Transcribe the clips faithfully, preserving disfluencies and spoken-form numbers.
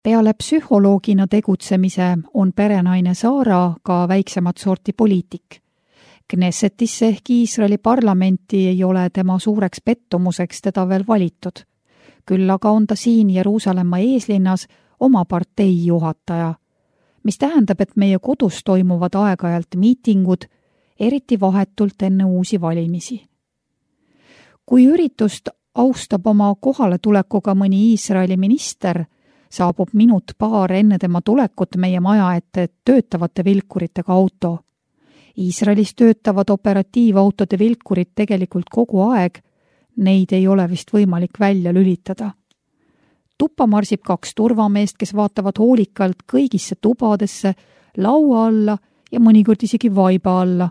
Peale psühholoogina tegutsemise on perenaine Saara ka väiksemat sorti poliitik. Knessetisse ehk Iisraeli parlamenti ei ole tema suureks pettumuseks teda veel valitud. Küll aga on ta siin Jeruusalemma eeslinnas oma partei juhataja, mis tähendab, et meie kodus toimuvad aeg-ajalt miitingud, eriti vahetult enne uusi valimisi. Kui üritust austab oma kohaletulekuga mõni Iisraeli minister, saabub minut paar enne tema tulekut meie maja ette töötavate vilkuritega auto. Iisraelis töötavad operatiivautode vilkurid tegelikult kogu aeg, neid ei ole vist võimalik välja lülitada. Tuppa marsib kaks turvameest, kes vaatavad hoolikalt kõigisse tubadesse, laua alla ja mõnikord isegi vaiba alla.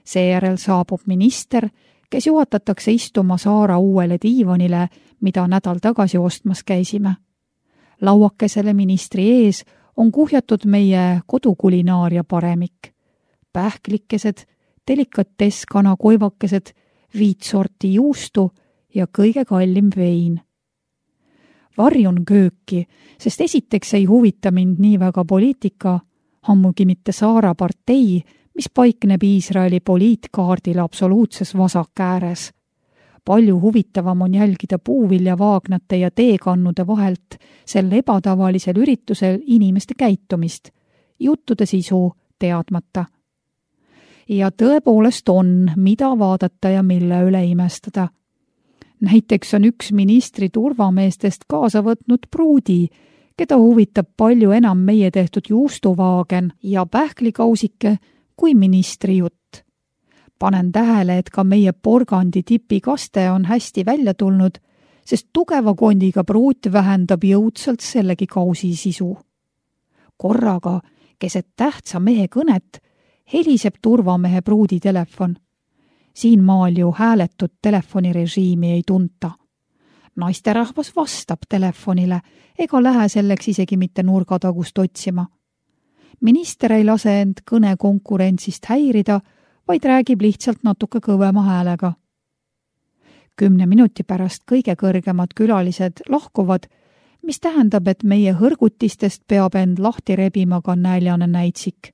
Seejärel saabub minister, kes juhatatakse istuma Saara uuele diivanile, mida nädal tagasi ostmas käisime. Lauakesele ministri ees on kuhjatud meie kodukulinaaria paremik. Pähklikesed, delikatess kanakoivakesed, viit sorti juustu ja kõige kallim vein. Varjun kööki, sest esiteks ei huvita mind nii väga poliitika, ammugi mitte Saara partei, mis paikneb Iisraeli poliitkaardil absoluutses vasak ääres. Palju huvitavam on jälgida puuviljavaagnate ja teekannude vahelt sel ebatavalisel üritusel inimeste käitumist, juttude sisu teadmata. Ja tõepoolest on, mida vaadata ja mille üle imestada. Näiteks on üks ministri turvameestest kaasa võtnud pruudi, keda huvitab palju enam meie tehtud juustuvaagen ja pähklikausike kui ministri jutt. Panen tähele, et ka meie porgandi tipikaste on hästi välja tulnud, sest tugeva kondiga pruut vähendab jõudsalt sellegi kausi sisu. Korraga, keset tähtsa mehe kõnet, heliseb turvamehe pruudi telefon. Siin maal ju hääletut telefonirežiimi ei tunta. Naisterahvas vastab telefonile ega lähe selleks isegi mitte nurgatagust otsima. Minister ei lase end kõne konkurentsist häirida, vaid räägib lihtsalt natuke kõvema häälega. Kümne minuti pärast kõige kõrgemad külalised lahkuvad, mis tähendab, et meie hõrgutistest peab end lahti rebima ka näljane näitsik.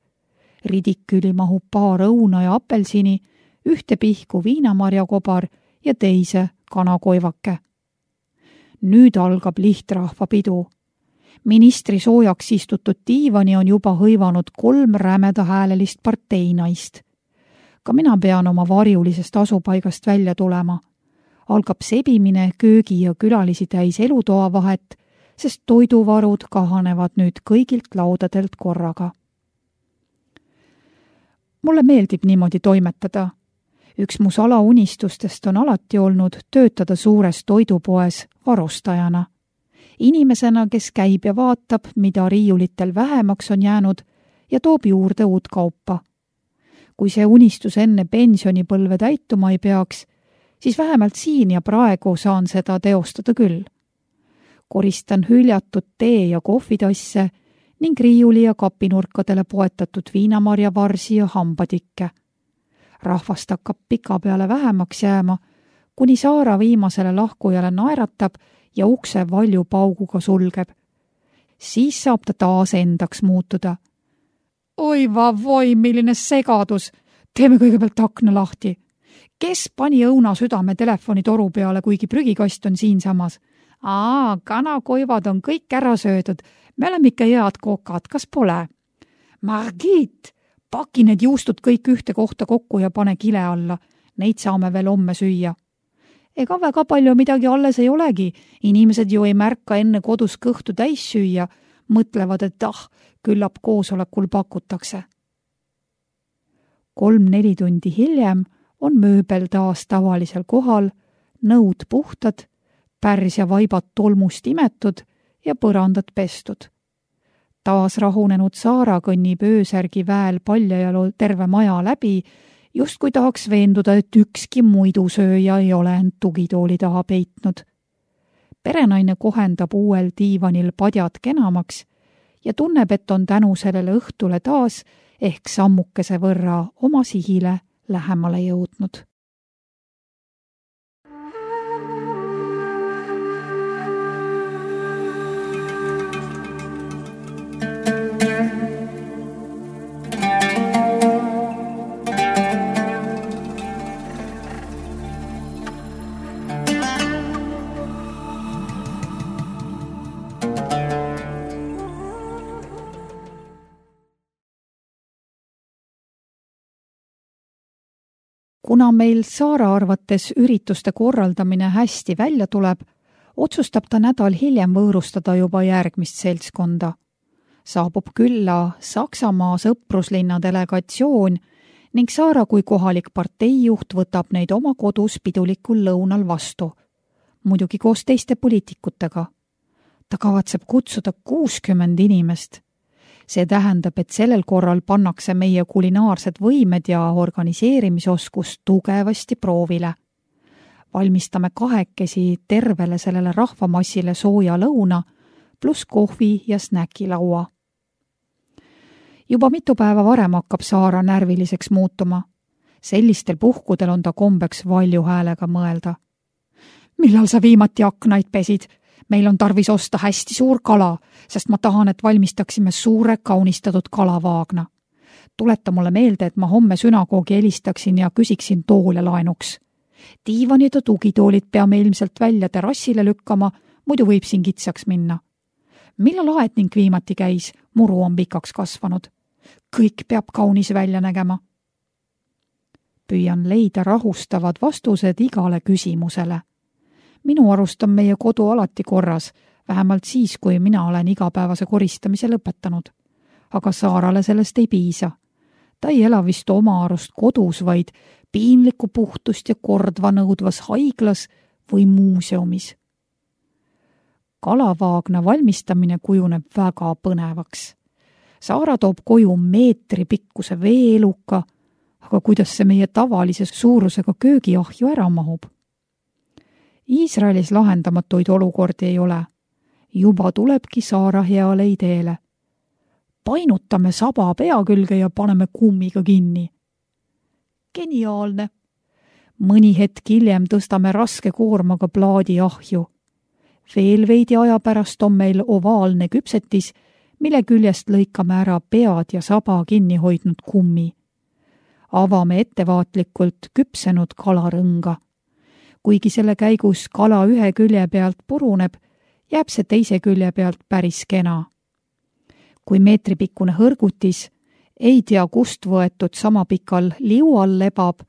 Ridiküli mahub paar õuna ja apelsini, ühte pihku viinamarjakobar ja teise kanakoivake. Nüüd algab lihtrahva pidu. Ministri soojaks istutud diivani on juba hõivanud kolm rämeda häälelist parteinaist. Ka mina pean oma varjulisest asupaigast välja tulema. Algab sebimine köögi ja külalisi täis elutoa vahet, sest toiduvarud kahanevad nüüd kõigilt laudadelt korraga. Mulle meeldib niimoodi toimetada. Üks mu salaunistustest on alati olnud töötada suures toidupoes varustajana. Inimesena, kes käib ja vaatab, mida riiulitel vähemaks on jäänud ja toob juurde uut kaupa. Kui see unistus enne pensionipõlve täituma ei peaks, siis vähemalt siin ja praegu saan seda teostada küll. Koristan hüljatud tee- ja kohvitasse ning riiuli ja kapinurkadele poetatud viinamarjavarsi ja hambatikke. Rahvast hakkab pika peale vähemaks jääma, kuni Saara viimasele lahkujale naeratab ja ukse valju pauguga sulgeb. Siis saab ta taas endaks muutuda. Oi vavoi, milline segadus! Teeme kõigepealt akna lahti. Kes pani õuna südame telefoni toru peale, kuigi prügikast on siinsamas? Aa, kanakoivad on kõik ära söödud. Me oleme ikka head kokad, kas pole? Margit, paki need juustud kõik ühte kohta kokku ja pane kile alla. Neid saame veel homme süüa. Ega väga palju midagi alles ei olegi. Inimesed ju ei märka enne kodus kõhtu täis süüa. Mõtlevad, et ah, küllap koosolekul pakutakse. Kolm-neli tundi hiljem on mööbel taas tavalisel kohal, nõud puhtad, pärs ja vaibad tolmust imetud ja põrandad pestud. Taas rahunenud Saara kõnnib öösärgi väel paljajalu terve maja läbi, just kui tahaks veenduda, et ükski muidusööja ei ole end tugitooli taha peitnud. Perenaine kohendab uuel diivanil padjad kenamaks ja tunneb, et on tänu sellele õhtule taas ehk sammukese võrra oma sihile lähemale jõudnud. kuna meil Saara arvates ürituste korraldamine hästi välja tuleb, otsustab ta nädal hiljem võõrustada juba järgmist seltskonda. Saabub külla Saksamaa sõpruslinna delegatsioon ning Saara kui kohalik parteijuht võtab neid oma kodus pidulikul lõunal vastu, muidugi koos teiste poliitikutega. Ta kavatseb kutsuda kuuskümmend inimest. See tähendab, et sellel korral pannakse meie kulinaarsed võimed ja organiseerimisoskus tugevasti proovile. Valmistame kahekesi tervele sellele rahvamassile sooja lõuna pluss kohvi ja snäkilaua. Juba mitu päeva varem hakkab Saara närviliseks muutuma. Sellistel puhkudel on ta kombeks valju häälega mõelda. Millal sa viimati aknaid pesid? Meil on tarvis osta hästi suur kala, sest ma tahan, et valmistaksime suure kaunistatud kalavaagna. Tuleta mulle meelde, et ma homme sünagoogi helistaksin ja küsiksin toole laenuks. Diivanid ja tugitoolid peame ilmselt välja terrassile lükkama, muidu võib siin kitsaks minna. Millal aetning viimati käis, muru on pikaks kasvanud. Kõik peab kaunis välja nägema. Püüan leida rahustavad vastused igale küsimusele. Minu arust on meie kodu alati korras, vähemalt siis, kui mina olen igapäevase koristamise lõpetanud. Aga Saarale sellest ei piisa. Ta ei ela vist oma arust kodus, vaid piinlikku puhtust ja kordva nõudvas haiglas või muuseumis. Kalavaagna valmistamine kujuneb väga põnevaks. Saara toob koju meetri pikkuse veeluka, aga kuidas see meie tavalise suurusega köögiahju ära mahub? Iisraelis lahendamatuid olukordi ei ole. Juba tulebki Saara heale ideele. Painutame saba pea külge ja paneme kummiga kinni. Geniaalne! Mõni hetk hiljem tõstame raske koormaga plaadi ahju. Veel veidi aja pärast on meil ovaalne küpsetis, mille küljest lõikame ära pead ja saba kinni hoidnud kummi. Avame ettevaatlikult küpsenud kalarõnga. Kuigi selle käigus kala ühe külje pealt puruneb, jääb see teise külje pealt päris kena. Kui meetripikkune hõrgutis, ei tea kust võetud sama pikal liual lebab,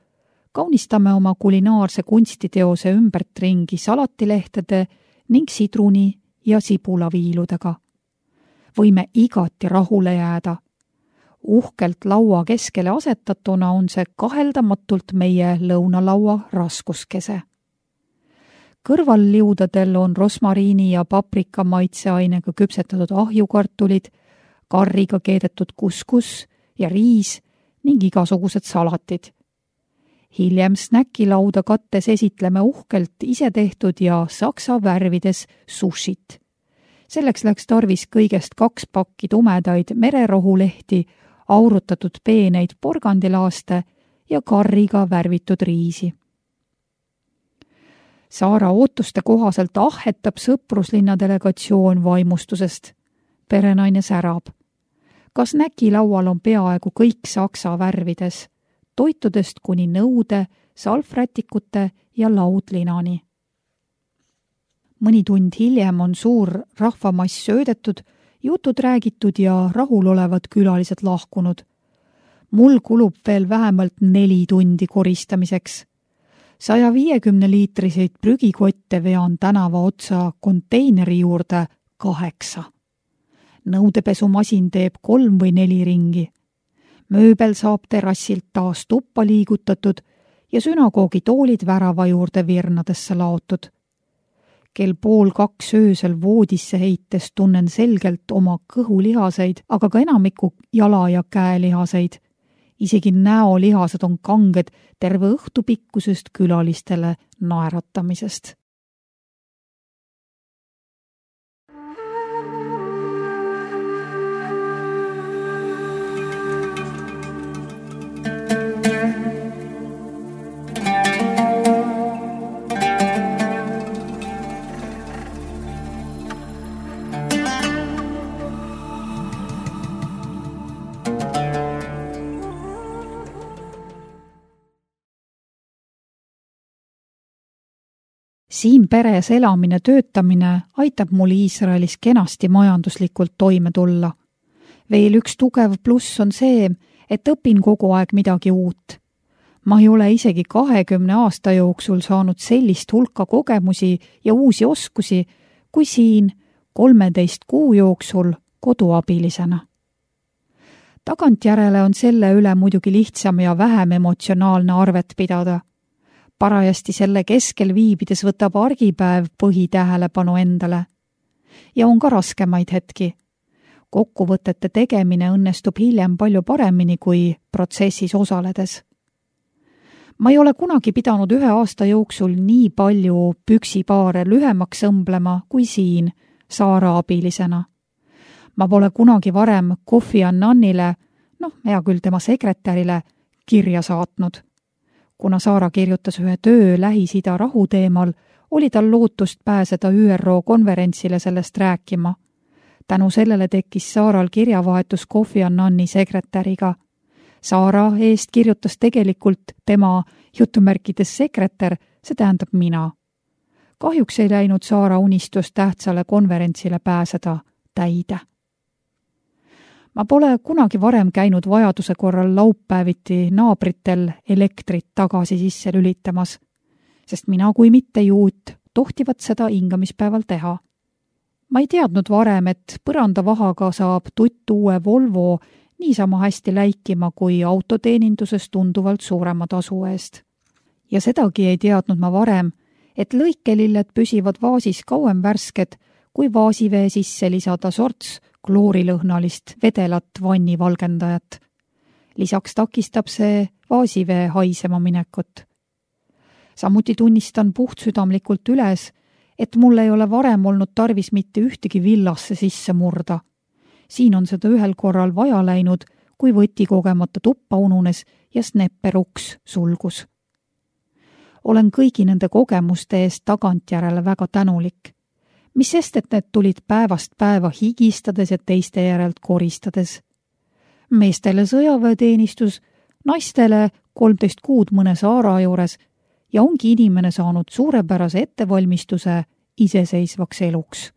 kaunistame oma kulinaarse kunstiteose ümbert ringi salatilehtede ning sidruni ja sibulaviiludega. Võime igati rahule jääda. Uhkelt laua keskele asetatuna on see kaheldamatult meie lõunalaua raskuskese. Kõrvalliudadel on rosmariini ja paprika maitseainega küpsetatud ahjukartulid, karriga keedetud kuskus ja riis ning igasugused salatid. Hiljem snäkilauda kattes esitleme uhkelt isetehtud ja saksa värvides sushit. Selleks läks tarvis kõigest kaks pakki tumedaid mererohulehti, aurutatud peeneid porgandilaaste ja karriga värvitud riisi. Saara ootuste kohaselt ahhetab sõpruslinna delegatsioon vaimustusest. Perenaine särab. Kas näkilaual on peaaegu kõik saksa värvides, toitudest kuni nõude, salvrätikute ja laudlinani. Mõni tund hiljem on suur rahvamass söödetud, jutud räägitud ja rahulolevad külalised lahkunud. Mul kulub veel vähemalt neli tundi koristamiseks. saja viiekümne liitriseid prügikotte vean tänava otsa konteineri juurde kaheksa. Nõudepesumasin teeb kolm või neli ringi. Mööbel saab terrassilt taas tuppa liigutatud ja sünagoogi toolid värava juurde virnadesse laotud. Kell pool kaks öösel voodisse heites tunnen selgelt oma kõhulihaseid, aga ka enamiku jala- ja käelihaseid. Isegi näolihased on kanged terve õhtu pikkusest külalistele naeratamisest. Siin peres elamine töötamine aitab mul Iisraelis kenasti majanduslikult toime tulla. Veel üks tugev pluss on see, et õpin kogu aeg midagi uut. Ma ei ole isegi kahekümne aasta jooksul saanud sellist hulka kogemusi ja uusi oskusi, kui siin kolmeteist kuu jooksul koduabilisena. Tagantjärele on selle üle muidugi lihtsam ja vähem emotsionaalne arvet pidada. Parajasti selle keskel viibides võtab argipäev põhitähelepanu endale. Ja on ka raskemaid hetki. Kokkuvõtete tegemine õnnestub hiljem palju paremini kui protsessis osaledes. Ma ei ole kunagi pidanud ühe aasta jooksul nii palju püksipaare lühemaks õmblema kui siin Saara abilisena. Ma pole kunagi varem Kofi Annanile, noh, hea küll tema sekretärile, kirja saatnud. Kuna Saara kirjutas ühe töö Lähis-Ida rahu teemal, oli tal lootust pääseda Ü R O konverentsile sellest rääkima. Tänu sellele tekkis Saaral kirjavahetus Kofi Annani sekretäriga. Saara eest kirjutas tegelikult tema jutumärkides sekretär, see tähendab mina. Kahjuks ei läinud Saara unistus tähtsale konverentsile pääseda täide. Ma pole kunagi varem käinud vajaduse korral laupäeviti naabritel elektrit tagasi sisse lülitamas, sest mina kui mitte juut tohtivad seda hingamispäeval teha. Ma ei teadnud varem, et põrandavahaga saab tutt uue Volvo niisama hästi läikima kui autoteeninduses tunduvalt suurema tasu eest. Ja sedagi ei teadnud ma varem, et lõikelilled püsivad vaasis kauem värsked, kui vaasivee sisse lisada sorts kloorilõhnalist vedelat vannivalgendajat. Lisaks takistab see vaasivee haisema minekut. Samuti tunnistan puhtsüdamlikult üles, et mul ei ole varem olnud tarvis mitte ühtegi villasse sisse murda. Siin on seda ühel korral vaja läinud, kui võti kogemata tuppa ununes ja snepperuks sulgus. Olen kõigi nende kogemuste eest tagantjärele väga tänulik. Mis sest, et need tulid päevast päeva higistades ja teiste järelt koristades. Meestele sõjaväeteenistus, naistele kolmteist kuud mõne Saara juures ja ongi inimene saanud suurepärase ettevalmistuse iseseisvaks eluks.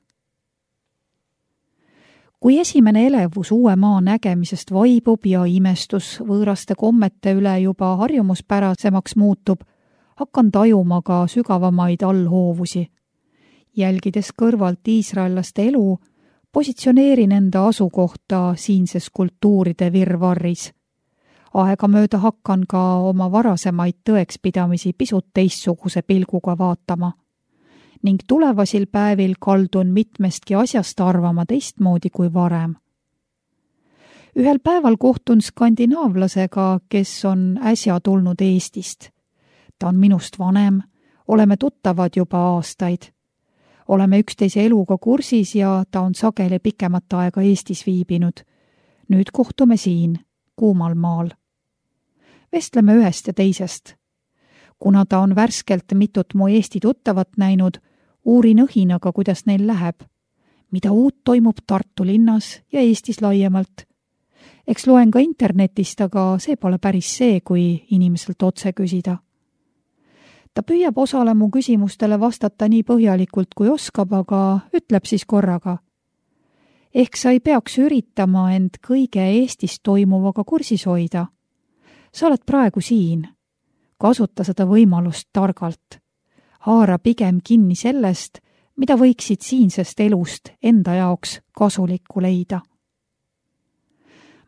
Kui esimene elevus uue maa nägemisest vaibub ja imestus võõraste kommete üle juba harjumuspärasemaks muutub, hakkan tajuma ka sügavamaid allhoovusi. Jälgides kõrvalt iisraellaste elu, positsioneerin enda asukohta siinses kultuuride virvarris. Aegamööda hakkan ka oma varasemaid tõekspidamisi pisut teistsuguse pilguga vaatama. Ning tulevasil päevil kaldun mitmestki asjast arvama teistmoodi kui varem. Ühel päeval kohtun skandinaavlasega, kes on äsja tulnud Eestist. Ta on minust vanem, oleme tuttavad juba aastaid. Oleme üksteise eluga kursis ja ta on sageli pikemat aega Eestis viibinud. Nüüd kohtume siin, kuumal maal. Vestleme ühest ja teisest. Kuna ta on värskelt mitut mu Eesti tuttavat näinud, uurin õhinaga, kuidas neil läheb. Mida uut toimub Tartu linnas ja Eestis laiemalt. Eks loen ka internetist, aga see pole päris see, kui inimeselt otse küsida. Ta püüab osale mu küsimustele vastata nii põhjalikult kui oskab, aga ütleb siis korraga. Ehk sa ei peaks üritama end kõige Eestis toimuvaga kursis hoida. Sa oled praegu siin. Kasuta seda võimalust targalt. Haara pigem kinni sellest, mida võiksid siinsest elust enda jaoks kasulikku leida.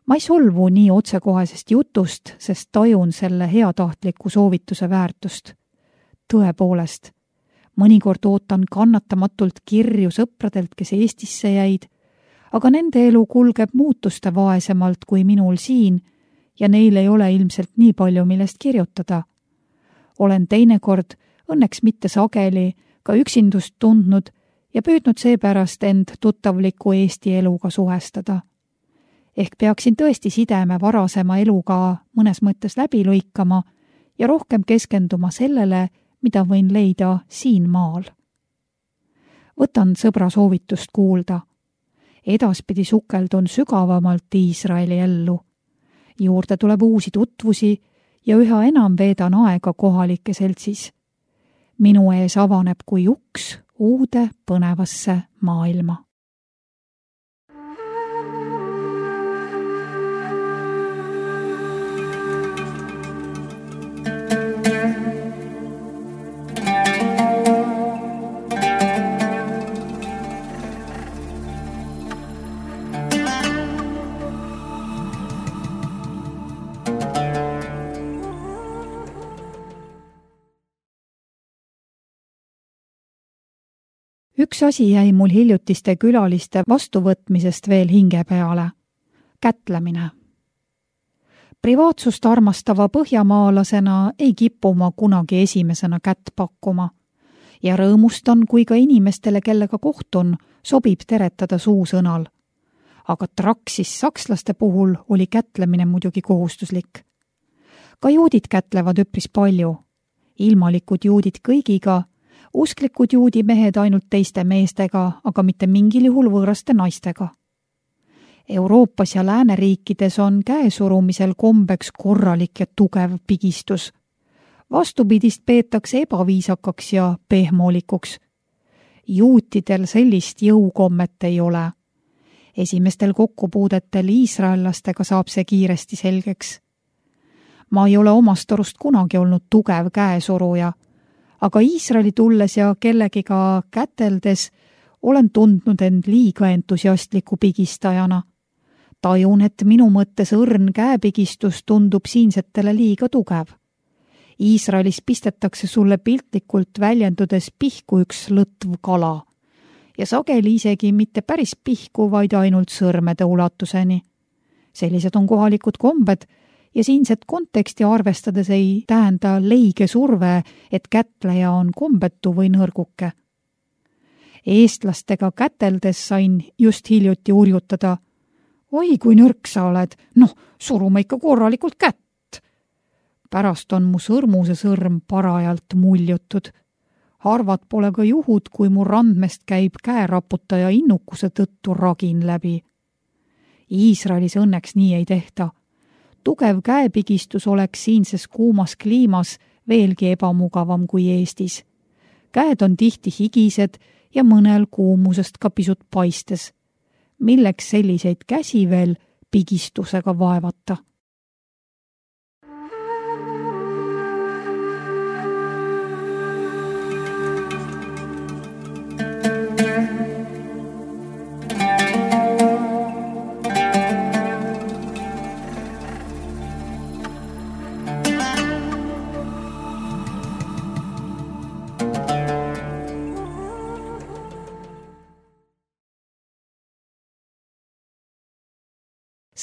Ma ei solvu nii otsekohesest jutust, sest tajun selle heatahtliku soovituse väärtust. Tõepoolest, mõnikord ootan kannatamatult kirju sõpradelt, kes Eestisse jäid, aga nende elu kulgeb muutuste vaesemalt kui minul siin ja neil ei ole ilmselt nii palju, millest kirjutada. Olen teinekord, õnneks mitte sageli, ka üksindust tundnud ja püüdnud seepärast end tuttavliku Eesti eluga suhestada. Ehk peaksin tõesti sideme varasema eluga mõnes mõttes läbi lõikama ja rohkem keskenduma sellele, mida võin leida siin maal. Võtan sõbra soovitust kuulda. Edaspidi sukeldun sügavamalt Iisraeli ellu. Juurde tuleb uusi tutvusi ja üha enam veedan aega kohalike seltsis. Minu ees avaneb kui uks uude põnevasse maailma. üks asi jäi mul hiljutiste külaliste vastuvõtmisest veel hinge peale. Kätlemine. Privaatsust armastava põhjamaalasena ei kipu ma kunagi esimesena kätt pakkuma ja rõõmustan, kui ka inimestele, kellega kohtun, sobib teretada suusõnal. Aga traksis sakslaste puhul oli kätlemine muidugi kohustuslik. Ka juudid kätlevad üpris palju. Ilmalikud juudid kõigiga, usklikud juudi mehed ainult teiste meestega, aga mitte mingil juhul võõraste naistega. Euroopas ja lääneriikides on käesurumisel kombeks korralik ja tugev pigistus. Vastupidist peetakse ebaviisakaks ja pehmoolikuks. Juutidel sellist jõukommet ei ole. Esimestel kokkupuudetel iisraellastega saab see kiiresti selgeks. Ma ei ole omast arust kunagi olnud tugev käesuruja, aga Iisraeli tulles ja kellegiga käteldes olen tundnud end liiga entusiastliku pigistajana. Tajun, et minu mõttes õrn käepigistus tundub siinsetele liiga tugev. Iisraelis pistetakse sulle piltlikult väljendudes pihku üks lõtv kala ja sageli isegi mitte päris pihku, vaid ainult sõrmede ulatuseni. Sellised on kohalikud kombed ja siinset konteksti arvestades ei tähenda leige surve, et kätleja on kombetu või nõrguke. Eestlastega käteldes sain just hiljuti urjutada. Oi, kui nõrk sa oled, noh, suruma ikka korralikult kätt. Pärast on mu sõrmuse sõrm parajalt muljutud. Harvad pole ka juhud, kui mu randmest käib käeraputaja innukuse tõttu ragin läbi. Iisraelis õnneks nii ei tehta. Tugev käepigistus oleks siinses kuumas kliimas veelgi ebamugavam kui Eestis. Käed on tihti higised ja mõnel kuumusest ka pisut paistes. Milleks selliseid käsi veel pigistusega vaevata?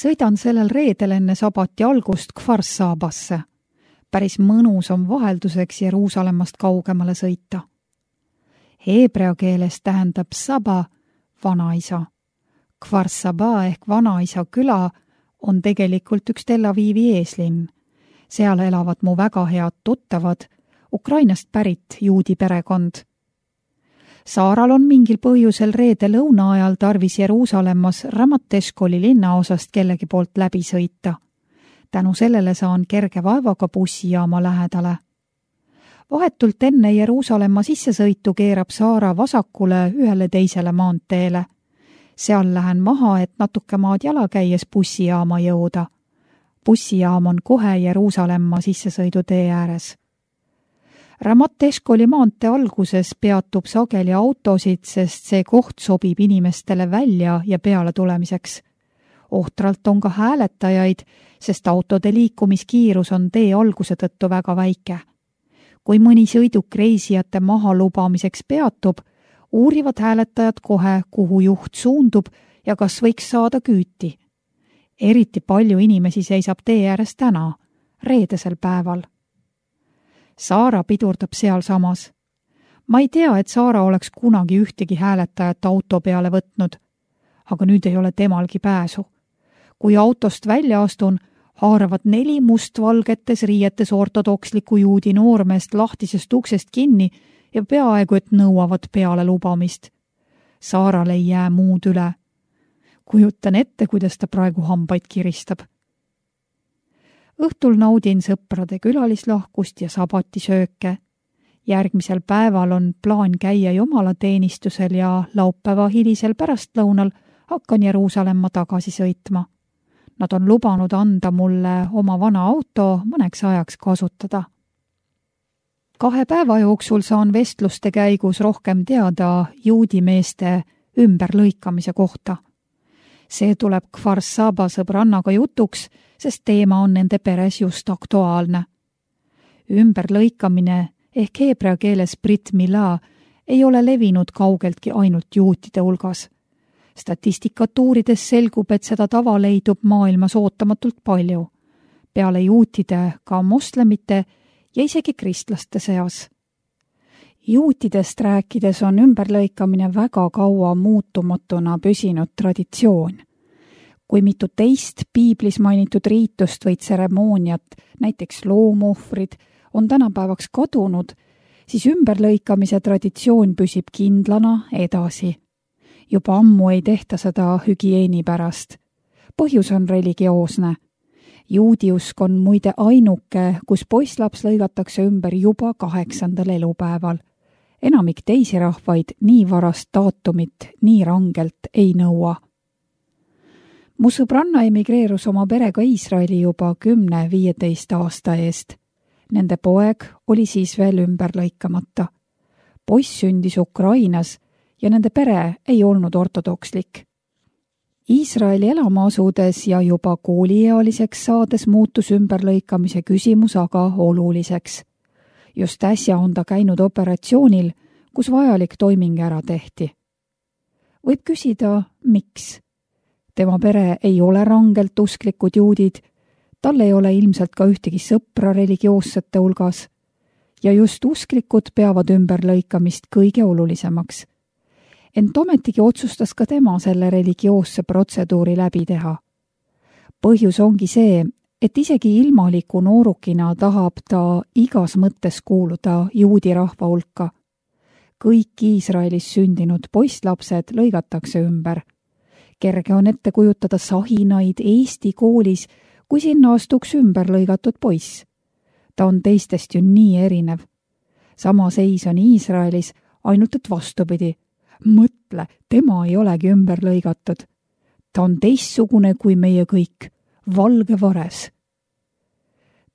Sõidan sellel reedel enne sabati algust Kfar Sabasse. Päris mõnus on vahelduseks Jeruusalemmast kaugemale sõita. Heebrea keeles tähendab saba vanaisa. Kfar Saba ehk vanaisa küla on tegelikult üks Tel Avivi eeslinn. Seal elavad mu väga head tuttavad, Ukrainast pärit juudi perekond. Saaral on mingil põhjusel reede lõuna ajal tarvis Jeruusalemmas Ramat Eshkoli linnaosast kellegi poolt läbi sõita. Tänu sellele saan kerge vaevaga bussijaama lähedale. Vahetult enne Jeruusalemma sissesõitu keerab Saara vasakule ühele teisele maanteele. Seal lähen maha, et natuke maad jala käies bussijaama jõuda. Bussijaam on kohe Jeruusalemma sissesõidu tee ääres. Ramat Eshkoli maantee alguses peatub sageli autosid, sest see koht sobib inimestele välja ja peale tulemiseks. Ohtralt on ka hääletajaid, sest autode liikumiskiirus on tee alguse tõttu väga väike. Kui mõni sõiduk reisijate maha lubamiseks peatub, uurivad hääletajad kohe, kuhu juht suundub ja kas võiks saada küüti. Eriti palju inimesi seisab tee ääres täna, reedesel päeval. Saara pidurdab seal samas. Ma ei tea, et Saara oleks kunagi ühtegi hääletajat auto peale võtnud, aga nüüd ei ole temalgi pääsu. Kui autost välja astun, haaravad neli mustvalgetes riietes ortodoksliku juudi noormeest lahtisest uksest kinni ja peaaegu et nõuavad peale lubamist. Saaral ei jää muud üle. Kujutan ette, kuidas ta praegu hambaid kiristab. Õhtul naudin sõprade külalislahkust ja sabatisööke. Järgmisel päeval on plaan käia jumalateenistusel ja laupäeva hilisel pärastlõunal hakkan Jeruusalemma tagasi sõitma. Nad on lubanud anda mulle oma vana auto mõneks ajaks kasutada. Kahe päeva jooksul saan vestluste käigus rohkem teada juudi meeste ümberlõikamise kohta. See tuleb Kfar Saba sõbrannaga jutuks, sest teema on nende peres just aktuaalne. Ümberlõikamine ehk heebrea keeles Brit Mila ei ole levinud kaugeltki ainult juutide hulgas. Statistikatuurides selgub, et seda tava leidub maailmas ootamatult palju, peale juutide ka moslemite ja isegi kristlaste seas. Juutidest rääkides on ümberlõikamine väga kaua muutumatuna püsinud traditsioon. Kui mitu teist piiblis mainitud riitust või tseremooniat, näiteks loomuhvrid, on tänapäevaks kadunud, siis ümberlõikamise traditsioon püsib kindlana edasi. Juba ammu ei tehta seda hügieeni pärast. Põhjus on religioosne. Juudiusk on muide ainuke, kus poisslaps lõigatakse ümber juba kaheksandal elupäeval. Enamik teisi rahvaid nii varast daatumit nii rangelt ei nõua. Mu sõbranna emigreerus oma perega Iisraeli juba kümne viieteist aasta eest. Nende poeg oli siis veel ümber lõikamata. Poiss sündis Ukrainas ja nende pere ei olnud ortodokslik. Iisraeli elama asudes ja juba kooliealiseks saades muutus ümberlõikamise küsimus aga oluliseks. Just äsja on ta käinud operatsioonil, kus vajalik toiming ära tehti. Võib küsida, miks? Tema pere ei ole rangelt usklikud juudid, tal ei ole ilmselt ka ühtegi sõpra religioossete hulgas ja just usklikud peavad ümberlõikamist kõige olulisemaks. Ent ometigi otsustas ka tema selle religioosse protseduuri läbi teha. Põhjus ongi see, et isegi ilmaliku noorukina tahab ta igas mõttes kuuluda juudi rahva hulka. Kõik Iisraelis sündinud poisslapsed lõigatakse ümber. Kerge on ette kujutada sahinaid Eesti koolis, kui sinna astuks ümber lõigatud poiss. Ta on teistest ju nii erinev. Sama seis on Iisraelis, ainult et vastupidi. Mõtle, tema ei olegi ümber lõigatud. Ta on teistsugune kui meie kõik, valge vares.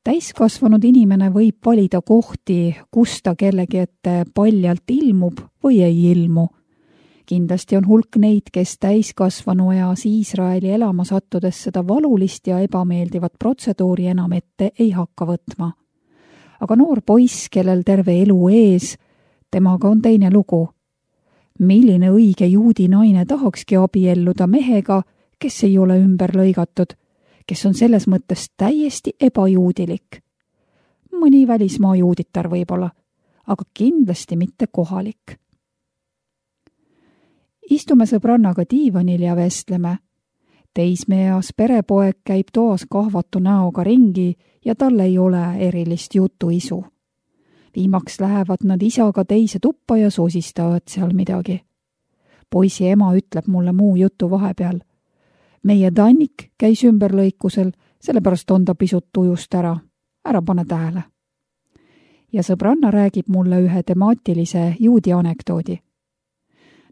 Täiskasvanud inimene võib valida kohti, kus ta kellegi ette paljalt ilmub või ei ilmu. Kindlasti on hulk neid, kes täiskasvanu eas Iisraeli elama sattudes seda valulist ja ebameeldivat protseduuri enam ette ei hakka võtma. Aga noor poiss, kellel terve elu ees, temaga on teine lugu. Milline õige juudi naine tahakski abielluda mehega, kes ei ole ümber lõigatud, kes on selles mõttes täiesti ebajuudilik. Mõni välismaa juuditar võib-olla, aga kindlasti mitte kohalik. Istume sõbrannaga diivanil ja vestleme. Teismeeas perepoeg käib toas kahvatu näoga ringi ja tal ei ole erilist jutuisu. Viimaks lähevad nad isaga teise tuppa ja sosistavad seal midagi. Poisi ema ütleb mulle muu jutu vahepeal. Meie Tannik käis ümberlõikusel, sellepärast on ta pisut tujust ära. Ära pane tähele. Ja sõbranna räägib mulle ühe temaatilise juudi anekdoodi.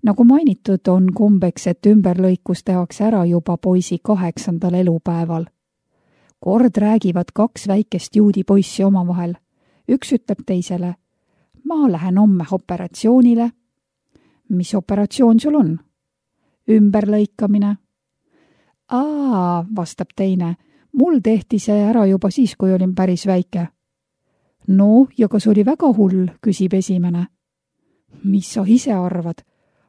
Nagu mainitud, on kombeks, et ümberlõikus tehakse ära juba poisi kaheksandal elupäeval. Kord räägivad kaks väikest juudi poissi omavahel. Üks ütleb teisele, ma lähen homme operatsioonile. Mis operatsioon sul on? Ümberlõikamine. Aa, vastab teine, mul tehti see ära juba siis, kui olin päris väike. No, ja kas oli väga hull, küsib esimene. Mis sa ise arvad?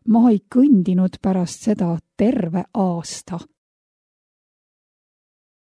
Ma ei kõndinud pärast seda terve aasta.